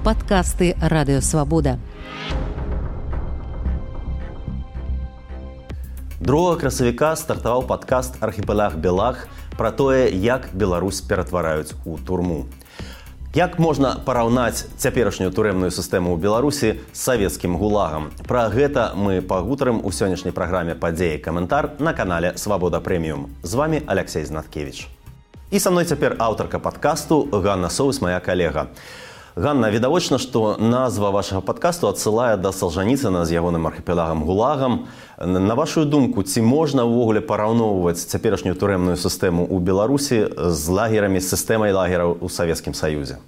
Падкасты Радыё Свабода. 2 красавіка стартаваў падкаст «Архіпелаг Белаг» пра тое, як Беларусь ператвараюць у турму. Як можна параўнаць цяперашнюю турэмную сістэму ў Беларусі з савецкім гулагам? Пра гэта мы пагутарым у сённяшняй праграме «Падзеі каментар» на канале «Свабода Прэміум». З вами Алексей Знаткевич. І са мной цяпер аўтарка падкасту Ганна Соус, моя калега. Ганна, відавочна, што назва вашага падкасту адсылае да Салжаніцына з ягоным архіпелагам гулагам. На вашу думку, ці можна ўвогуле параўноўваць цяперашнюю турэмную сістэму ў Беларусі з лагерамі, з сістэмай лагераў у Савецкім Саюзе?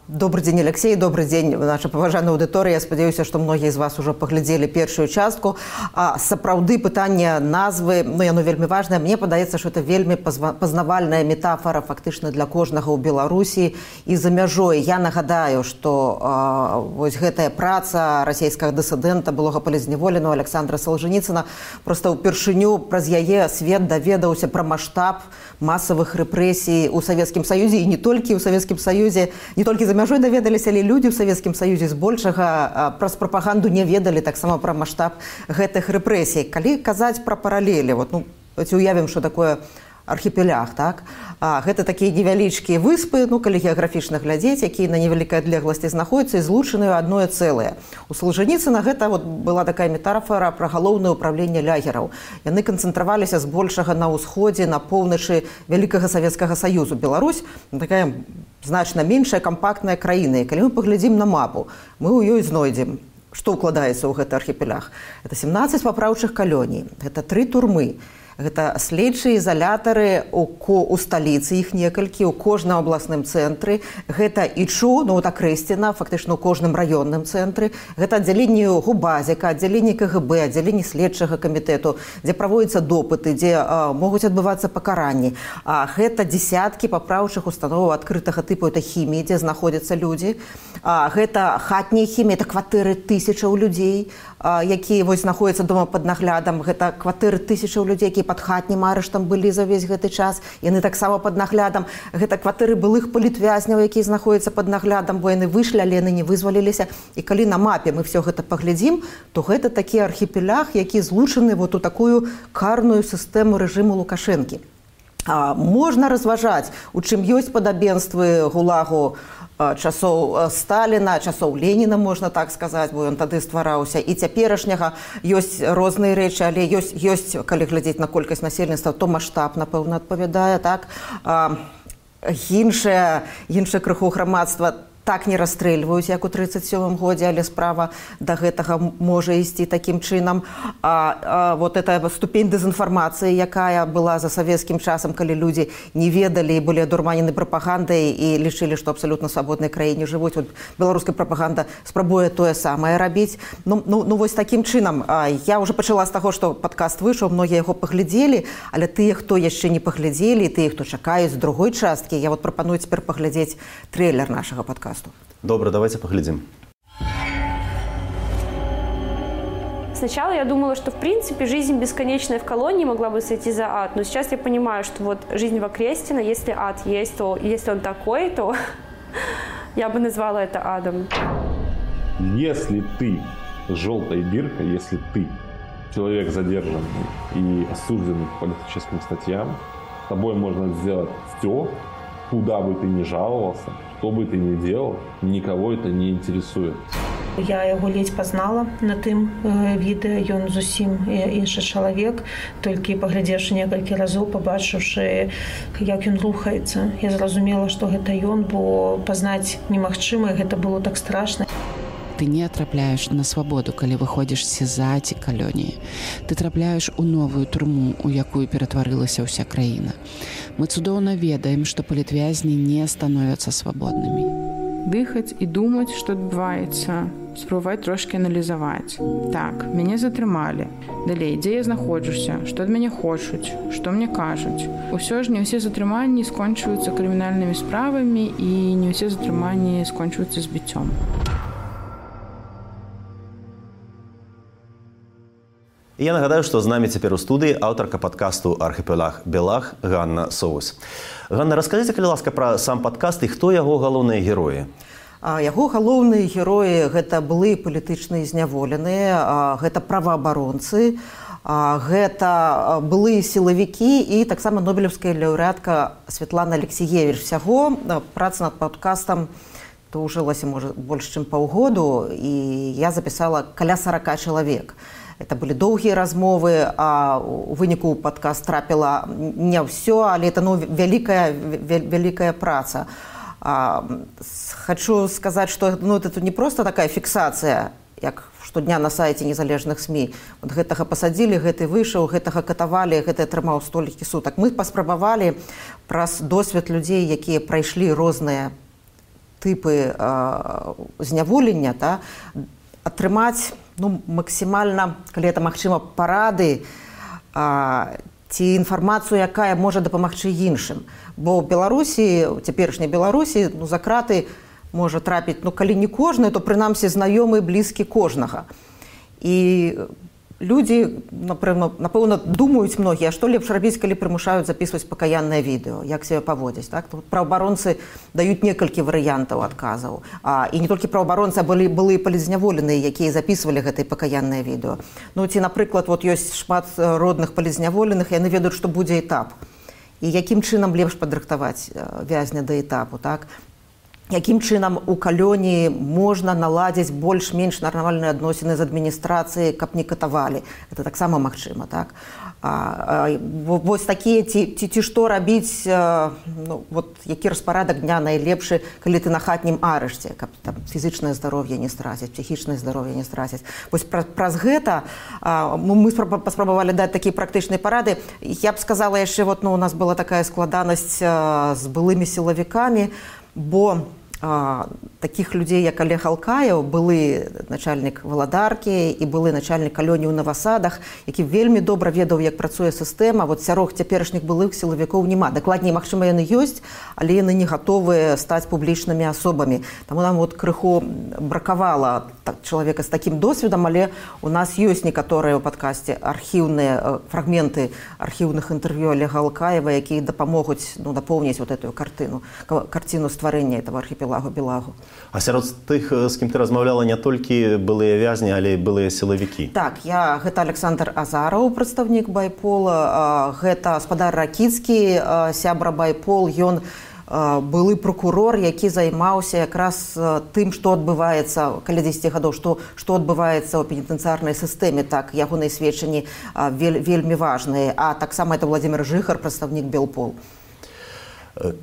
Добрый день, Алексей, добрый день, наша паважаная аўдыторыя. Я спадзяюся, што многія з вас ужо паглядзелі першую частку. Сапраўды пытанне назвы, яно вельмі важнае. Мне падаецца, што это вельмі пазнавальная метафора фактычна для кожнага ў Беларусі і за мяжой. Я нагадаю, што вось гэтая праца расійскага дысідэнта, былога палізняволенага Александра Салжаніцына, проста ўпершыню праз яе свет даведаўся пра маштаб масавых рэпрэсій у Савецкім Саюзе, і не толькі ў Савецкім Саюзе. Не толькі за мяжой даведаліся, але людзі ў Савецкім Саюзе збольшага праз прапаганду не ведалі таксама пра маштаб гэтых рэпрэсій. Калі казаць пра паралелі, уявім, што такое архіпеляг, так? Гэта такія невялічкія выспы, калі геаграфічна глядзець, якія на невялікай адлегласці знаходзяцца і злучаныя ў адное цэлае. У Салжаніцына гэта была такая метафора пра галоўнае ўпраўленне лагераў. Яны канцэнтраваліся збольшага на ўсходзе, на поўначы Вялікага Савецкага Саюзу. Беларусь такая значна меншая кампактная краіна. І калі мы паглядзім на мапу, мы ў ёй знойдзем, што ўкладаецца ў гэты архіпелях. Гэта 17 папраўчых калоній, гэта 3 турмы. Гэта следчыя ізалятары у сталіцы, іх некалькі, у кожным абласным цэнтры. Гэта ІЧУ, Акрэсціна, фактычна ў кожным раённым цэнтры. Гэта аддзяленне Губазіка, аддзяленне КГБ, аддзяленне следчага камітэту, дзе праводзяцца допыты, дзе могуць адбывацца пакаранні. Гэта дзесяткі папраўчых установаў адкрытага тыпу, это хіміі, дзе знаходзяцца людзі. Гэта хатнія хіміі, это кватэры тысячаў людзей, якія знаходзяцца дома пад наглядам. Гэта кватэры тысячаў людзей, якія пад хатнім арыштам былі за ўвесь гэты час. Яны таксама пад наглядам. Гэта кватэры былых палітвязняў, якія знаходзяцца пад наглядам, бо яны выйшлі, але яны не вызваліліся. І калі на мапе мы все гэта паглядзім, то гэта такі архіпелях, які злучаны у такую карную сістэму рэжыму Лукашэнкі. Можна разважаць, у чым ёсць падабенствы гулагу часоў Сталіна, часоў Леніна, можна так сказаць, бо ён тады ствараўся. І цяперашняга ёсць розныя рэчы, але ёсць, калі глядзець на колькасць насельніцтва, то маштаб, напэўна, адпавядае, так? Іншае крыху грамадства так не расстрэльваюць, як у 1937 годзе, але справа да гэтага можа ісці такім чынам. Эта ступень дэзінфармацыі, якая была за савецкім часам, калі людзі не ведалі і былі адурманены прапагандай і лічылі, што абсалютна свабоднай краіне жывуць. Беларуская прапаганда спрабуе тое самае рабіць. Вось такім чынам. Я ўжо пачала з таго, што падкаст выйшаў, многія яго паглядзелі, але тыя, хто яшчэ не паглядзелі, тыя, хто чакаюць з другой часткі, я прапаную цяпер паглядзець трэйлер нашага падкасту. Добро, давайте поглядим. Сначала я думала, что в принципе жизнь бесконечная в колонии могла бы сойти за ад, но сейчас я понимаю, что жизнь в Акрестино, если ад есть, то если он такой, то я бы назвала это адом. Если ты с желтой биркой, если ты человек задержанный и осужденный по политическим статьям, с тобой можно сделать все, куда бы ты ни жаловался, что бы ты ни делал, никого это не интересует. Я яго ледзь пазнала на тым відэа, ён зусім іншы чалавек, толькі паглядзеўшы некалькі разоў, пабачыўшы, як ён рухаецца. Я зразумела, што гэта ён, бо пазнаць немагчыма, гэта было так страшна. Ты не трапляеш на свабоду, калі выходзіш з СІЗА ці калоніі. Ты трапляеш у новую турму, у якую ператварылася ўся краіна. Мы цудоўна ведаем, што палітвязні не становяцца свабоднымі. Дыхаць і думаць, што адбываецца, спрабаваць трошкі аналізаваць. Так, мяне затрымалі. Далей, дзе я знаходжуся, што ад мяне хочуць, што мне кажуць. Усё ж не ўсе затрыманні скончваюцца крымінальнымі справамі і не ўсе затрыманні скончваюцца збіццём. І я нагадаю, што з намі цяпер у студыі аўтарка падкасту «Архіпелаг Белаг» Ганна Соус. Ганна, раскажыце, калі ласка, пра сам падкаст і хто яго галоўныя героі? Яго галоўныя героі гэта былыя палітычныя зняволеныя, гэта праваабаронцы, гэта былыя сілавікі і таксама нобелеўская лаўрэатка Святлана Алексіевіч. Всяго праца над падкастам доўжылася, можа, больш чым паўгоду, і я запісала каля 40 чалавек. Это былі доўгія размовы, а у выніку падкаст трапіла не ўсё, але это вялікая праца. Хочу сказаць, што это не проста такая фіксацыя, як штодня на сайце незалежных СМІ. Вот гэтага пасадзілі, гэты выйшаў, гэтага катавалі, гэты атрымаў столькі сутак. Мы паспрабавалі праз досвед людзей, якія прайшлі розныя тыпы зняволення, атрымаць максімальна, калі это магчыма, парады ці інфармацыю, якая можа дапамагчы іншым. Бо ў Беларусі, у цяперашняй Беларусі, за краты можа трапіць, калі не кожны, то прынамсі знаёмы, блізкі кожнага. І людзі, напэўна, думаюць многія, што лепш рабіць, калі прымушаюць запісваць пакаяннае відэо, як себе паводзіць. Праваабаронцы даюць некалькі варыянтаў адказаў. І не толькі праваабаронцы, а былыя палізняволеныя, якія запісвалі гэтае пакаяннае відэо. Ці, напрыклад, ёсць шмат родных палізняволеных, яны ведаюць, што будзе этап. І якім чынам лепш падрыхтаваць вязня да этапу, так? Якім чынам у калоніі можна наладзіць больш-менш нармальныя адносіны з адміністрацыяй, каб не катавалі. Это таксама магчыма, так? Вось такія, ці што рабіць, які распарадак дня найлепшы, калі ты на хатнім арышце, каб фізычнае здароўе не страціць, псіхічнае здароўе не страціць. Вось праз гэта мы паспрабавалі даць такія практычныя парады. Я б сказала яшчэ, у нас была такая складанасць з былымі сілавікамі, бо такіх людзей, як Олег Алкаев, былы начальнік Валадаркі і былы начальнік калоніі ў Навасадах, які вельмі добра ведаў, як працуе сістэма. Сярод цяперашніх былых сілавікоў няма. Дакладней, магчыма, яны ёсць, але яны не гатовыя стаць публічнымі асобамі. Таму нам крыху бракавала чалавека з такім досведам, але у нас ёсць некаторыя ў падкасце архіўныя фрагменты архіўных інтэрв'ю Олега Алкаева, якія дапамогуць дапоўніць эту карціну стварэння этого архіпелагу Белагу. А сярод тых, з кім ты размаўляла, не толькі былыя вязні, але і былыя сілавікі? Так, гэта Александр Азараў, прадстаўнік байпола, гэта спадар Ракіцкі, сябра байпол, ён былы прокурор, які займаўся якраз тым, што адбываецца каля 10 гадоў, што адбываецца ў пенітэнцыярнай сістэме. Так, ягоныя сведчанні вельмі важныя. А таксама это Владзімир Жыхар, прадстаўнік Белпол.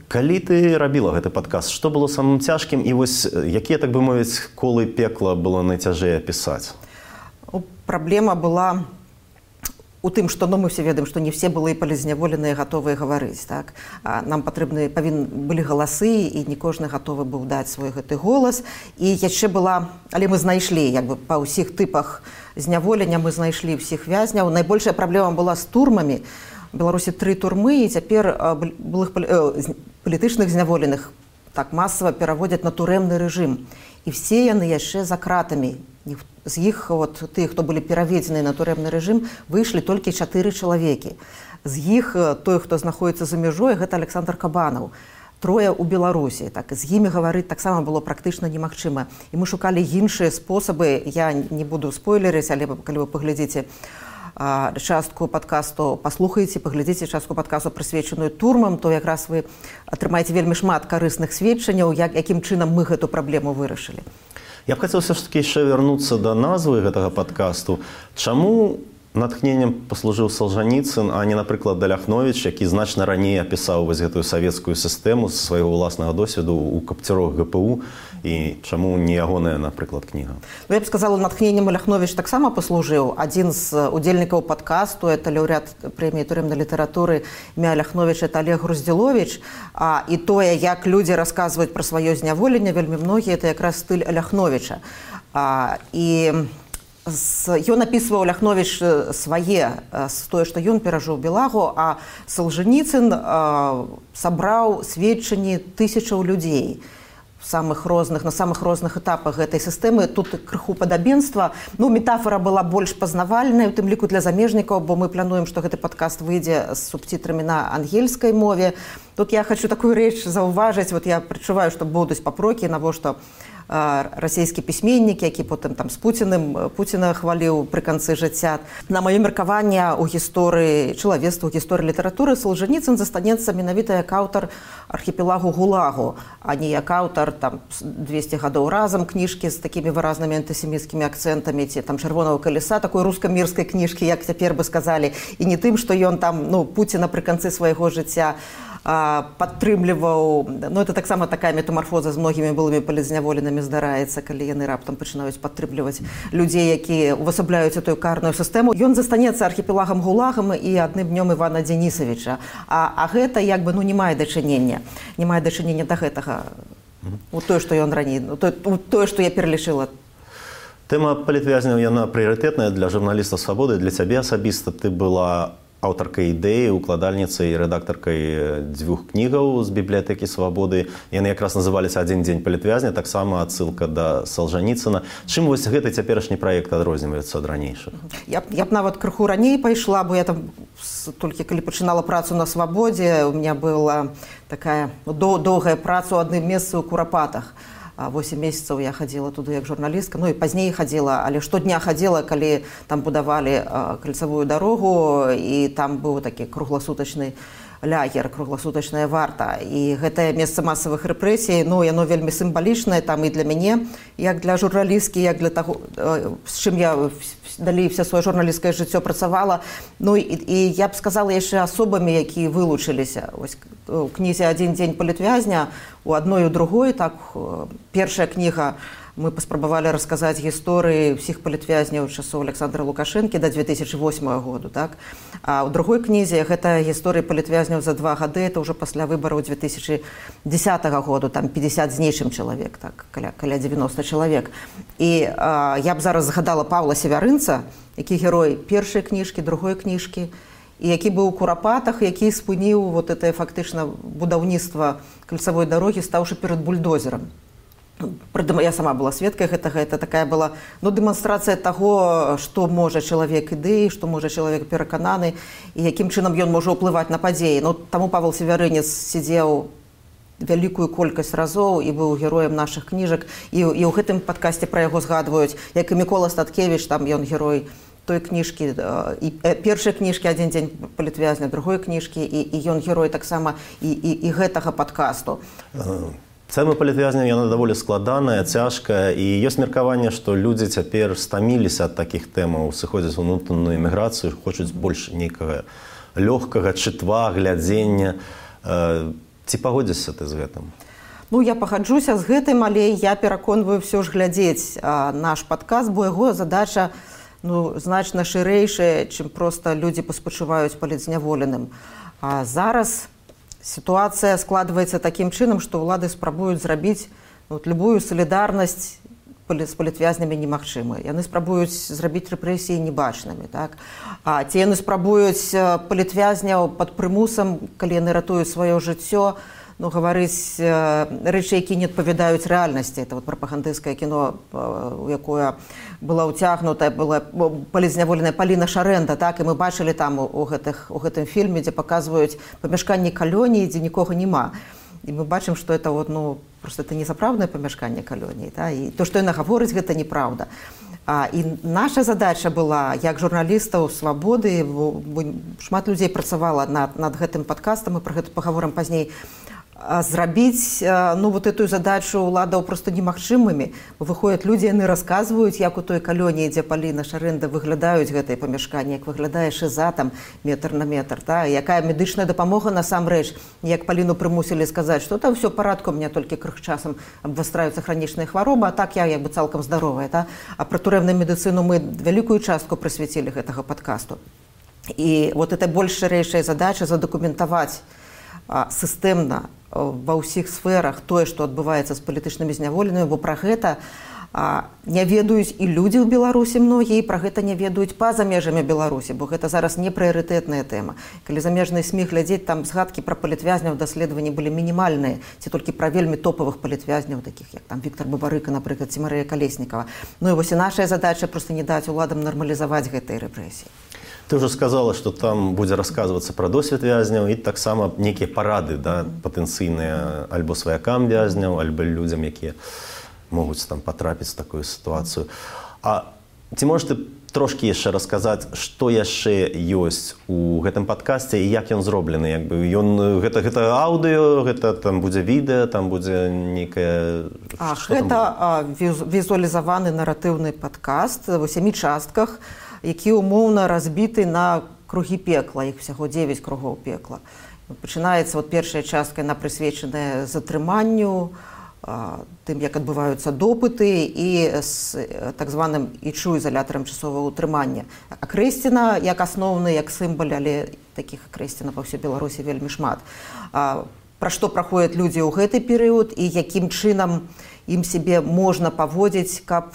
Калі ты рабіла гэты падкаст, што было самым цяжкім і якія, так бы мовіць, колы пекла было найцяжэй апісаць? Праблема была у тым, што мы все ведаем, што не все былыя палізняволеныя гатовыя гаварыць. Так? Нам павінны былі галасы, і не кожны гатовы быў даць свой гэты голас. І яшчэ была, але мы знайшлі па ўсіх тыпах зняволення, мы знайшлі ўсіх вязняў. Найбольшая праблема была з турмамі. У Беларусі 3 турмы, і цяпер былых палітычных зняволеных так масава пераводзяць на турэмны рэжым. І все яны яшчэ за кратамі. З іх, тых, хто былі пераведзены на турэмны рэжым, выйшлі толькі 4 чалавекі. З іх той, хто знаходзіцца за мяжой, гэта Александр Кабанаў. 3 у Беларусі. Так, з імі гаварыць таксама было практычна немагчыма. І мы шукалі іншыя спосабы. Я не буду спойлерыць, але калі вы паглядзіце частку падкасту, паслухаеце, паглядзіце частку падкасту, прысвечаную турмам, то якраз вы атрымаеце вельмі шмат карысных сведчанняў, якім чынам мы гэту праблему вырашылі. Я б хацеў все ж таки яшчэ вярнуцца да назвы гэтага падкасту. Чаму натхненнем паслужыў Салжаніцын, а не, напрыклад, Ляхновіч, які значна раней апісаў гэтую савецкую сістэму з свайго ўласнага досведу ў капцюрах ГПУ, і чаму не ягоная, напрыклад, кніга? Я б сказала, натхненнем Ляхновіч таксама паслужыў. Адзін з удзельнікаў падкасту, это лаўрэат прэміі турэмнай літаратуры імя Ляхновіч, это Олег Груздзіловіч. І тое, як людзі расказваюць пра сваё зняволенне, вельмі многія, это якраз стыль Ляхновіча. Ён апісваў Ляхновіч свае, тое, што ён перажыў Белагу, а Салжаніцын сабраў сведчанні тысячаў людзей. на самых розных этапах гэтай сістэмы. Тут крыху падабенства. Ну, метафора была больш пазнавальная, у тым ліку для замежнікаў, бо мы плануем, што гэты падкаст выйдзе з субтітрамі на ангельскай мове. Тут я хочу такую рэч заўважыць. Вот я прачуваю, што будуць папрокі, навошта расійскі пісьменнік, які потым там з Пуціна хваліў пры канцы жыцця. На маё меркаванне ў гісторыі чалавецтва, у гісторыі літаратуры Солженіцын застанецца менавіта як аўтар архіпелагу ГУЛАГу, а не як аўтар там 200 гадоў разам кніжкі з такімі выразнымі антысеміцкімі акцэнтамі ці там чырвонага калеса, такой руска-мірскай кніжкі, як цяпер бы сказалі, і не тым, што ён там, ну, Пуціна пры канцы свайго жыцця падтрымліваў. Ну, это таксама такая метамарфоза з многімі былымі палізняволенымі здараецца, калі яны раптам пачынаюць падтрымліваць людзей, якія увасабляюць эту карную сістэму. Ён застанецца архіпелагам ГУЛАГам і адным днём Івана Дзенісавіча. А гэта як бы, ну, не мае дачынення да гэтага. У тое, што ён раней, у тое, што я пералічыла. Тэма палітвязняў, яна прыярытэтная для журналіста «Свабоды». Для цябе асабіста ты была аўтаркай ідэі, укладальніцай і рэдактаркай 2 кнігаў з бібліятэкі «Свабоды». Яны якраз называліся «Адзін дзень палітвязня», таксама адсылка да Солженіцына. Чым вось гэты цяперашні праект адрозніваецца ад ранейшых? Я б нават крыху раней пайшла, бо я там толькі калі пачынала працу на «Свабодзе», у меня была такая доўгая праца ў адным месцы ў Курапатах. 8 месяцаў я хадзіла туды як журналістка, ну і пазней хадзіла, але штодня хадзіла, калі там будавалі кальцавую дарогу, і там быў такі кругласутачны лагер, кругласутачная варта. І гэтае месца масавых рэпрэсій, ну, яно вельмі сімвалічнае там і для мяне, як для журналісткі, як для таго, з чым я далей все сваё журналісцкае жыццё працавала. Ну і я б сказала яшчэ асобамі, якія вылучыліся. Вось у кнізе «Адзін дзень палітвязня» у адной і у другой, так, першая кніга мы паспрабавалі расказаць гісторыі ўсіх палітвязняў часоў Александра Лукашэнкі да 2008 году, так? А ў другой кнізе гэта гісторыі палітвязняў за 2 гады, это ўжо пасля выбараў 2010 году, там 50 з нейчым чалавек, так, каля 90 чалавек. І я б зараз згадала Павла Севярынца, які герой першай кніжкі, другой кніжкі, і які быў у Курапатах, які спыніў вот это фактычна будаўніцтва кальцавой дарогі, стаўшы перад бульдозерам. Я сама была сведкай гэтага, это такая была, ну, дэманстрацыя таго, што можа чалавек ідэі, што можа чалавек перакананы, і якім чынам ён можа ўплываць на падзеі. Ну, таму Павел Севярынец сидзеў вялікую колькасць разоў і быў героем нашых кніжак, і ў гэтым падкасце пра яго згадваюць, як і Мікола Статкевіч, там ён герой той кніжкі, першай кніжкі «Адзін дзень палітвязня», другой кніжкі, і ён герой таксама і гэтага падкасту. Тэма палітвязняў, яна даволі складаная, цяжкая, і ёсць меркаванне, што людзі цяпер стаміліся ад такіх тэмаў, сыходзяць у унутраную эміграцыю, хочуць больш нейкага лёгкага чытва, глядзення. Ці пагодзішся ты з гэтым? Ну, я пагаджуся з гэтым, але я пераконваю ўсё ж глядзець наш падкаст, бо яго задача, ну, значна шырэйшая, чым проста людзі паспачуваюць палітзняволеным. А зараз ситуация складывается таким чином, что улады спрабуюць зрабіць любую солідарнасць з палітвязнямі немагчымай. Яны спрабуюць зрабіць рэпрэсіі небачнымі, так? А ці яны спрабуюць палітвязняў пад прымусам, калі яны ратуюць сваё жыццё, ну, гаварыць рэчы, якія не адпавядаюць рэальнасці. Это вот прапагандысцкае кіно, у якое была ўцягнутая, была палітзняволеная Паліна Шарэнда, так? І мы бачылі там у гэтым фільме, дзе паказваюць памяшканні калоніі, дзе нікога няма. І мы бачым, што это вот, ну, просто это не сапраўднае памяшканне калоніі, да? І то, што яна гаворыць, гэта неправда. І наша задача была, як журналістаў «Свабоды», шмат людзей працавала над гэтым падкастам, мы пра гэта пагаворым пазней, зрабіць, ну, вот эту задачу уладаў просто немагчымымі. Выходят людзі, яны расказваюць, як у той калоніі, дзе Паліна Шарэнда, выглядаюць гэтыя памяшканні, як выглядае шыза там метр на метр, да? Якая медычная дапамога насамрэч, як Паліну прымусілі сказаць, што там все парадку, у меня толькі крых часам абвастраюцца хранічныя хваробы, а так я як бы цалкам здаровая, да? А пра турэмную медыцыну мы вялікую частку прысвяцілі гэтага падкасту. І вот эта больш шырэйшая задача задакументаваць сістэмна ва ўсіх сферах тое, што адбываецца з палітычнымі зняволенымі, бо пра гэта Не ведаюць і людзі ў Беларусі многія, пра гэта не ведаюць па-за межамі Беларусі, бо гэта зараз не прыярытэтная тэма. Калі замежныя СМІ глядзець, там згадкі пра палітвязняў даследаванні былі мінімальныя, ці толькі пра вельмі топавых палітвязняў, такіх як там Віктор Бабарыка, напрыклад, ці Марыя Калеснікава. Ну і вось і нашая задача проста не даць уладам нармалізаваць гэтыя рэпрэсіі. Ты ўжо сказала, што там будзе расказвацца пра досвед вязняў і таксама нейкія парады, да, патэнцыйныя альбо сваякам вязняў, альбо людзям, якія могуць там патрапіць в такую сітуацыю. А ці можаш ты трошкі яшчэ расказаць, што яшчэ ёсць у гэтым падкасце і як ён зроблены? Гэта аўдыё, гэта там будзе відэа, там будзе нейкае... Гэта візуалізаваны наратыўны падкаст у 7 частках, які умоўна разбіты на кругі пекла, іх усяго 9 кругоў пекла. Пачынаецца першая частка, яна прысвечаная затрыманню, тым, як адбываюцца допыты і з так званым ічу ізалятарам часовага ўтрымання. Акрэсціна як асноўны, як сімвал, але такіх акрэсцінаў па ўсёй Беларусі вельмі шмат. Пра што праходзяць людзі ў гэты перыяд і якім чынам ім сябе можна паводзіць, каб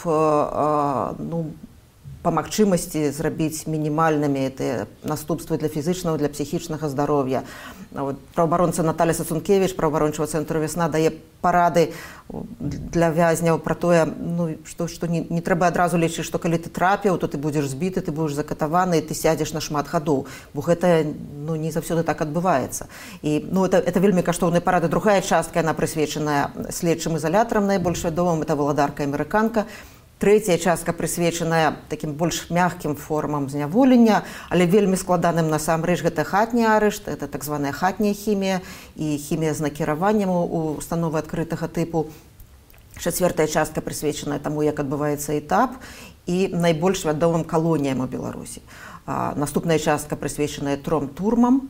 па магчымасці зрабіць мінімальнымі гэтыя наступствы для фізічнага, для псіхічнага здароўя. Праваабаронца Наталя Сацункевіч, праваабарончага цэнтру «Вясна», дае парады для вязняў пра тое, што не трэба адразу лічыць, што калі ты трапіў, то ты будзеш збіты, ты будзеш закатаваны, і ты сядзеш на шмат гадоў, бо гэта не заўсёды так адбываецца. І это вельмі каштоўныя парады. Другая частка, яна прысвечаная следчым ізалятарам, найбольш вядомым, это валадарка-амерыканка. Трэцяя частка прысвечаная такім больш мяккім формам зняволення, але вельмі складаным насамрэч. Гэта хатні арышт, это так званая хатняя хімія і хімія з накіраваннем у установы адкрытага тыпу. Чацвёртая частка прысвечаная таму, як адбываецца этап і найбольш вядомым калоніям у Беларусі. Наступная частка прысвечаная 3 турмам.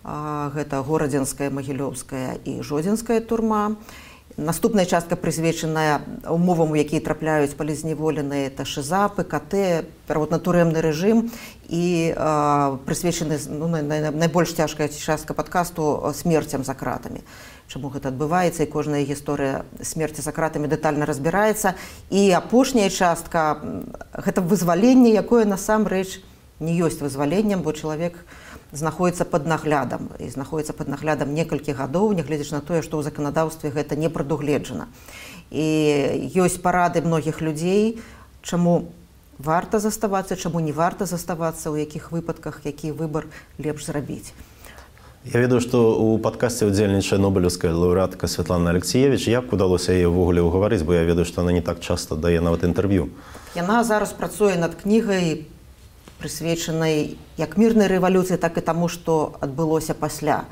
Гэта Горадзенская, Магілёўская і Жодзінская турма. Наступная частка прысвечаная умовам, у якія трапляюць палізняволеныя, это ШИЗА, ПКТ, пераводна-турэмны рэжым і прысвечаны найбольш цяжкая частка падкасту смерцям за кратамі. Чаму гэта адбываецца, і кожная гісторыя смерці за кратамі дэтальна разбіраецца. І апошняя частка гэта вызваленне, якое насамрэч не ёсць вызваленнем, бо чалавек знаходзіцца пад наглядам, і знаходзіцца пад наглядам некалькі гадоў, нягледзячы на тое, што ў заканадаўстве гэта не прадугледжана. І ёсць парады многіх людзей, чаму варта заставацца, чаму не варта заставацца, у якіх выпадках, які выбар лепш зрабіць. Я ведаю, што ў падкасце ўдзельнічае нобелеўская лаўрэатка Святлана Алексіевіч. Як удалося яе ўвогуле ўгаварыць, бо я ведаю, што яна не так часта дае нават інтэрв'ю. Яна зараз працуе над кнігай, прысвечанай як мірнай рэвалюцыі, так і таму, што адбылося пасля.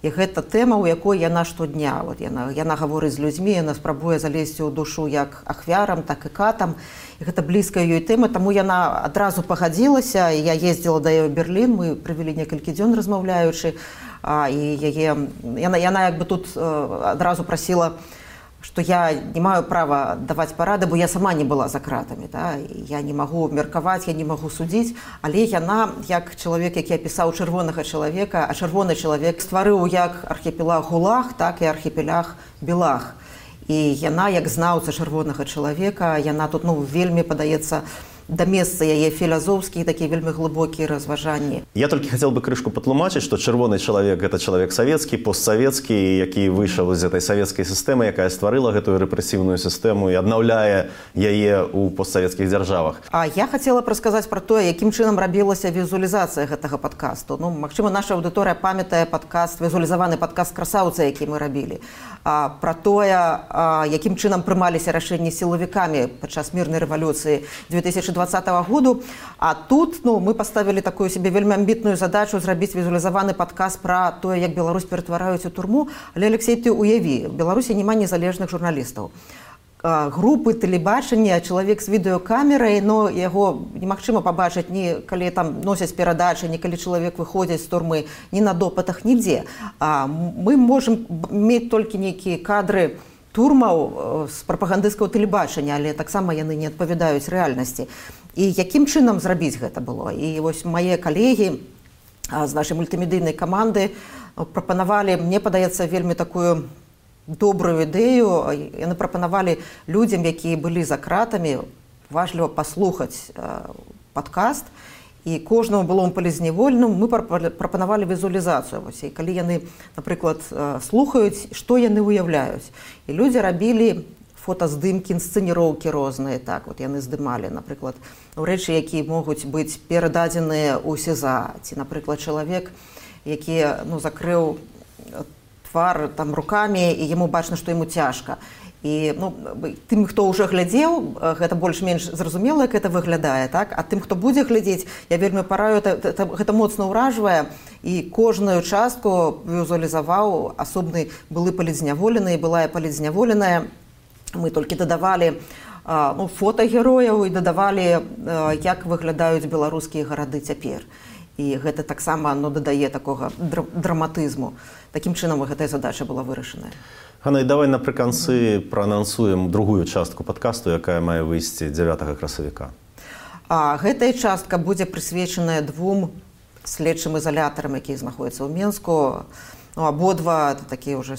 І гэта тэма, у якой яна штодня. Яна гаворыць з людзьмі, яна спрабуе залезці ў душу як ахвярам, так і катам. І гэта блізкая ёй тэма, таму яна адразу пагадзілася. Я ездзіла да яе ў Берлін, мы правялі некалькі дзён размаўляючы. І яна як бы тут адразу прасіла, што я не маю права даваць парады, бо я сама не была за кратамі. Я не магу меркаваць, я не магу судзіць, але яна, як чалавек, які апісаў чырвонага чалавека, а чырвоны чалавек стварыў як архіпелаг ГУЛАГ, так і архіпелаг БЕЛАГ. І яна, як знаўца чырвонага чалавека, яна тут вельмі падаецца да месца яе філазофскія, такія вельмі глыбокія разважанні. Я толькі хацеў бы крышку патлумачыць, што чырвоны чалавек – гэта чалавек савецкі, постсавецкі, які выйшаў з гэтай савецкай сістэмы, якая стварыла гэтую рэпрэсіўную сістэму і аднаўляе яе ў постсавецкіх дзяржавах. А я хацела б расказаць пра тое, якім чынам рабілася візуалізацыя гэтага падкасту. Магчыма, наша аўдыторыя памятае падкаст, візуалізаваны падкаст «Красаўца», які мы рабілі. Пра тое, якім чынам прымаліся рашэнні сілавікамі падчас мірнай рэвалюцыі 2020 году. А тут мы паставілі такую себе вельмі амбітную задачу зрабіць візуалізаваны падкаст пра тое, як Беларусь ператвараюць у турму. Але, Алексей, ты уяві, в Беларусі няма незалежных журналістаў. Групы тэлебачання, чалавек з відэокамерай, но яго немагчыма пабачыць ні калі там носяць перадачы, ні калі чалавек выходзіць з турмы, ні на допытах, нідзе. Мы можам мець толькі нейкія кадры турмаў з прапагандысцкага тэлебачання, але таксама яны не адпавядаюць рэальнасці. І якім чынам зрабіць гэта было? І вось мае калегі з нашай мультымедыйнай каманды прапанавалі, мне падаецца, вельмі такую добрую ідэю. Яны прапанавалі людзям, якія былі за кратамі, важліва паслухаць падкаст, і кожнаму былому палізняволенаму мы прапанавалі візуалізацыю. І калі яны, напрыклад, слухаюць, што яны ўяўляюць. І людзі рабілі фотаздымкі, інсцэніроўкі розныя. Так, от яны здымалі, напрыклад, рэчы, якія могуць быць перададзеныя ў СІЗА. Ці, напрыклад, чалавек, які закрыў твар там рукамі, і яму бачна, што яму цяжка. І тым, хто ўжо глядзеў, гэта больш-менш зразумела, як гэта выглядае, так? А тым, хто будзе глядзець, я вельмі параю, гэта моцна ўражвае, і кожную частку візуалізаваў асобны былы палізняволены і былая палізняволеная. Мы толькі дадавалі фота герояў і дадавалі, як выглядаюць беларускія гарады цяпер. І гэта таксама дадае такога драматызму. Такім чынам гэтая задача была вырашаная. Ганна, і давай напрыканцы праанансуем другую частку падкасту, якая мае выйсці 9 красавіка. Гэтая частка будзе прысвечаная 2 следчым ізалятарам, якія знаходзяцца ў Менску. Абодва, такія ўжо,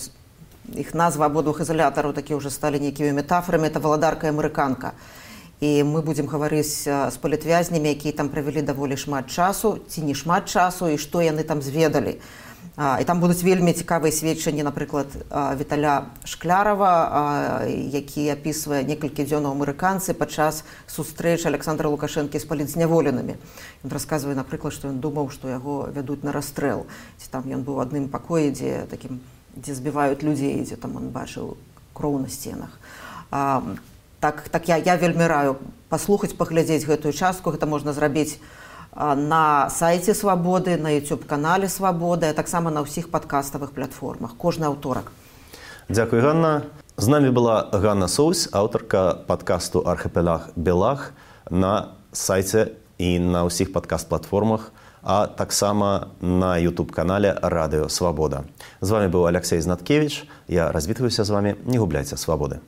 іх назва абодвух ізалятараў такія ўжо сталі нейкімі метафорамі, это валадарка і амерыканка. І мы будзем гаварыць з палітвязнямі, якія там правялі даволі шмат часу, ці не шмат часу, і што яны там зведалі. І там будуць вельмі цікавыя сведчанні, напрыклад, Віталя Шклярава, які апісвае некалькі дзён у амерыканцы падчас сустрэч Александра Лукашэнкі з палітзняволенымі. Ён расказвае, напрыклад, што ён думаў, што яго вядуць на расстрэл. Ці там ён быў у адным пакоі, дзе збіваюць людзей, дзе там ён бачыў кроў на сценах. Так я вельмі раю паслухаць, паглядзець гэтую частку. Гэта можна зрабіць на сайце Свабоды, на YouTube-канале Свабоды, а таксама на ўсіх падкаставых платформах. Кожны аўторак. Дзякуй, Ганна. З намі была Ганна Соусь, аўтарка падкасту «Архіпелаг Белаг» на сайце і на ўсіх падкаст-платформах, а таксама на YouTube-канале «Радыё Свабода». З вами быў Алексей Знаткевич. Я развітваюся з вами. Не губляйце свабоды.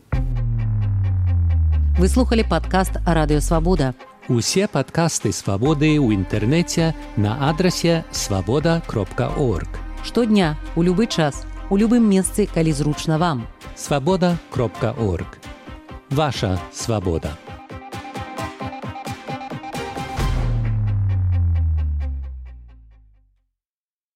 Вы слухали падкаст «Радыё Свабода». Усе падкасты «Свабоды» ў інтэрнэце на адрасе свабода.орг. Штодня, у любы час, у любым месцы, калі зручна вам. Свабода.орг. Ваша свабода.